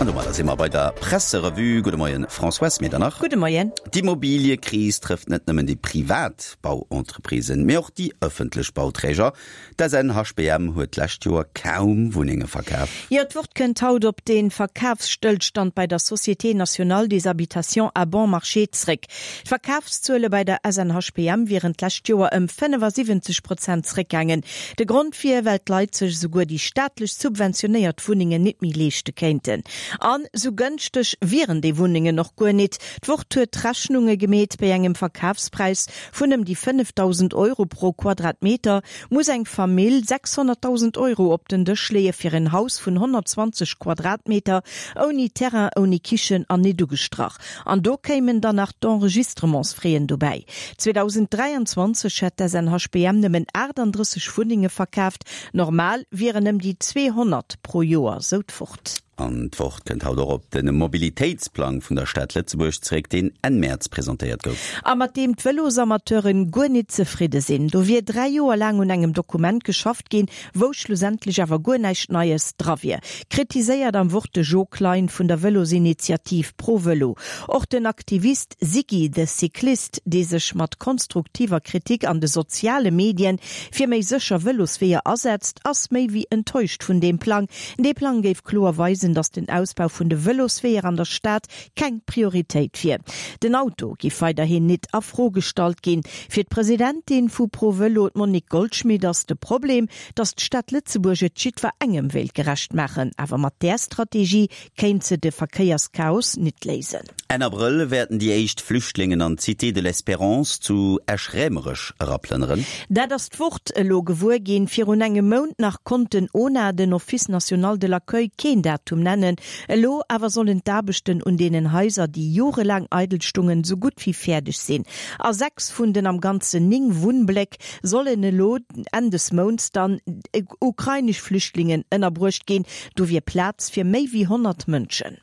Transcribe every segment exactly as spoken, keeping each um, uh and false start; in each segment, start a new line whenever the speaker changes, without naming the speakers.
An domadder si mer bei der Presserevue. Gudde Moien, Françoise Medernach.
Gudde Moien.
D'Immobiliëkris trëfft net nëmmen déi privat Bauentreprisen, mee och déi ëffentlech Bauträger. D'SNHBM huet d'lescht Joer kaum Wunnenge verkaf.
Jo, d'Wort kënnt haut op de Verkafsstëllstand bei der Société Nationale des Habitations à Bon Marché zréck. D'Verkafszuele bei der SNHBM wieren d'lescht Joer ëm fënnefasiwwenzeg Prozent zréckgaangen. De Grond wier, well d'Leit sech esouguer déi staatlech subventionéiert Wunnengen nit méi leeschte kéinten. An sou gënschteg wieren déi Wunnengen och guer nit. D'Wort huet Rechnunge gemeet, Bei engem Verkafspräis vun ëm déi fënnefdausend Euro pro Quadratmeter muss eng Famill sechshonnertdausend Euro op den Dësch leeë fir en Haus vun honnertzwanzeg Quadratmeter, ouni Terrain, ouni Kichen an nit ugestrach. An do kéimen dann nach d'Enregistrementsfraisen dobäi. zweedausenddräianzwanzeg hätt d'SNHBM nëmmen aachtanddrësseg Wunnenge verkaaft, normal wieren ëm déi zweehonnert pro Joer, sou d'Wort.
An d'Wort kënnt haut och op de Mobilitéitsplang vun der Stad Lëtzebuerg zeréck, deen Enn Mäerz presentéiert gouf.
A mat deem d'Vëlosamateuren guer nit zefridde sinn. Do wier dräi Joer laang un engem Dokument geschafft ginn, wou schlussendlech awer guer näischt Neies dra wier, kritiséiert am Wort de Jo Klein vun der Vëlosinitiativ ProVëlo. Och den Aktivist Siggy the Cyclist, dee sech mat konstruktiver Kritik an de soziale Medien fir méi sécher Vëlosweeër asetzt, ass méi wéi enttäuscht vun deem Plang. Dee Plang géif kloer weisen, datt den Ausbau vun de Vëlosweeër an der Stad keng Prioritéit wier. Den Auto giff weiderhin nit a Fro gestallt ginn. Fir d'Presidentin vu ProVëlo, d'Monique Goldschmit, ass de Problem, datt d'Stad Lëtzebuerg et jiddwerengem wéilt gerecht maachen. Awer mat där Strategie kéint se de Verkéierschaos nit léisen.
Enn Abrëll wäerten déi éischt Flüchtlingen an d'Cité de l'Espérance zu Esch-Raemerech eraplënneren.
Dat ass d'Wort elo gewuer ginn. Virun engem Mount nach konnt den ONA, den Office national de l'accueil, keen Datum nennen. Elo awer sollen d'Aarbechten un deenen Haiser, déi jorelaang eidel stungen, sou gutt wéi fäerdeg sinn. A sechs vun den am Ganzen néng Wunnbléck sollen elo Enn des Mounts dann ukrainesch Flüchtlingen ënnerbruecht ginn. Do wier Plaz fir méi wéi honnert Mënschen.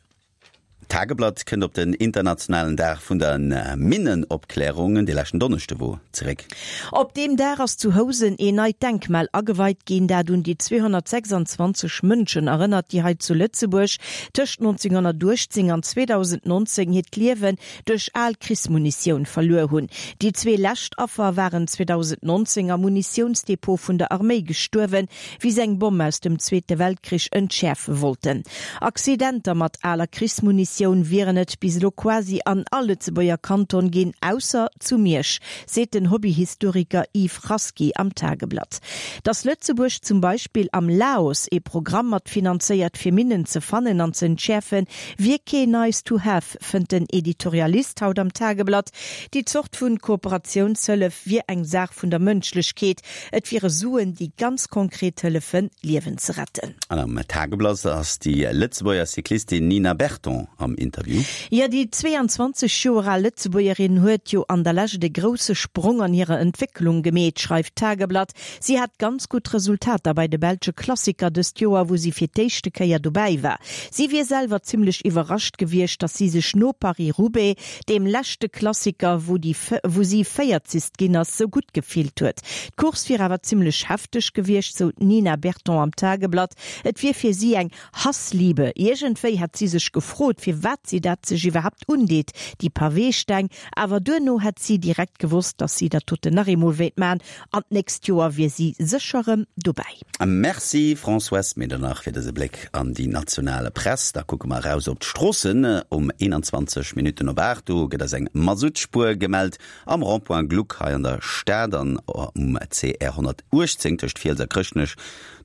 D'Tageblatt kënnt op den internationalen Dag vun der Minnenopklärung, dee leschten Donneschde wor, zeréck.
Op deem Dag ass zu Housen een neit Denkmal ageweit ginn, dat un déi zweehonnertsechsandzwanzeg Mënschen erënnert, déi hei zu Lëtzebuerg tëscht nonzénghonnertuechtzéng an zweedausendnonzéng hiert Liewen duerch al Krichsmunitioun verluer hunn. Déi zwee lescht Affer waren zweedausendnonzéng am Munitiounsdepot vun der Arméi gestuerwen, wéi se eng Bomm aus dem Zweete Weltkrich entschäerfe wollten. Accidenter mat aler Krichsmunitioun wieren et bis elo quasi an all Lëtzebuerger Kanton ginn, ausser zu Miersch, seet den Hobbyhistoriker Yves Rasqui am Tageblatt. Datt Lëtzebuerg zum Beispill am Laos ee Programm mat finanzéiert fir Minnen ze fannen an ze entschäerfen, wier kee nice to have, fënnt den Editorialist haut am Tageblatt. Déi Zort vun Kooperatiounshëllef wier eng Saach vun der Mënschlechkeet, et wiere Suen, déi ganz konkret hëllefen, Liewen ze retten.
An am Tageblatt ass déi Lëtzebuerger Cyclistin Nina Berton am Interview.
Jo, déi zweeanzwanzeg Joer al Lëtzebuergerin huet jo an der Lescht e grousse Sprong an hirer Entwécklung gemeet, schreift d'Tageblatt. Si hat ganz gutt Resultater bei de belsche Klassiker dëst Joer, wou si fir d'éischte Kéier dobäi war. Si wier selwer zimmlech iwwerrascht gewiescht, datt si sech no Paris-Roubaix, deem leschte Klassiker, wou déi wou si Véierzist ginn ass, sou gutt gefillt huet. D'Course wier awer zimmlech hefteg gewiescht, sou d'Nina Berton am Tageblatt. Et wier fir si eng Hassliebe. Iergendwéi hätt si sech gefrot, firwat si dat sech iwwerhaapt undeet, déi Paweesteng. Awer duerno hätt si direkt gewosst, datt si dat doten nach eemol wéilt man an d'nächst Joer wier si sécher rëm dobäi.
Merci Françoise Medernach fir dëse Bléck an déi national Press. Da kucke mer eraus op d'Stroossen. Um eenanzwanzeg Minutten op aacht, do gëtt eis eng Masuttspuer gemellt am Rond-point Gluck hei an der Stad an um C R honnertuechtzéng tëscht Fiels a Chrëschtnech.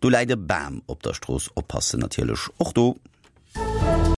Do läit e Bam op der Strooss, oppassen natierlech och do.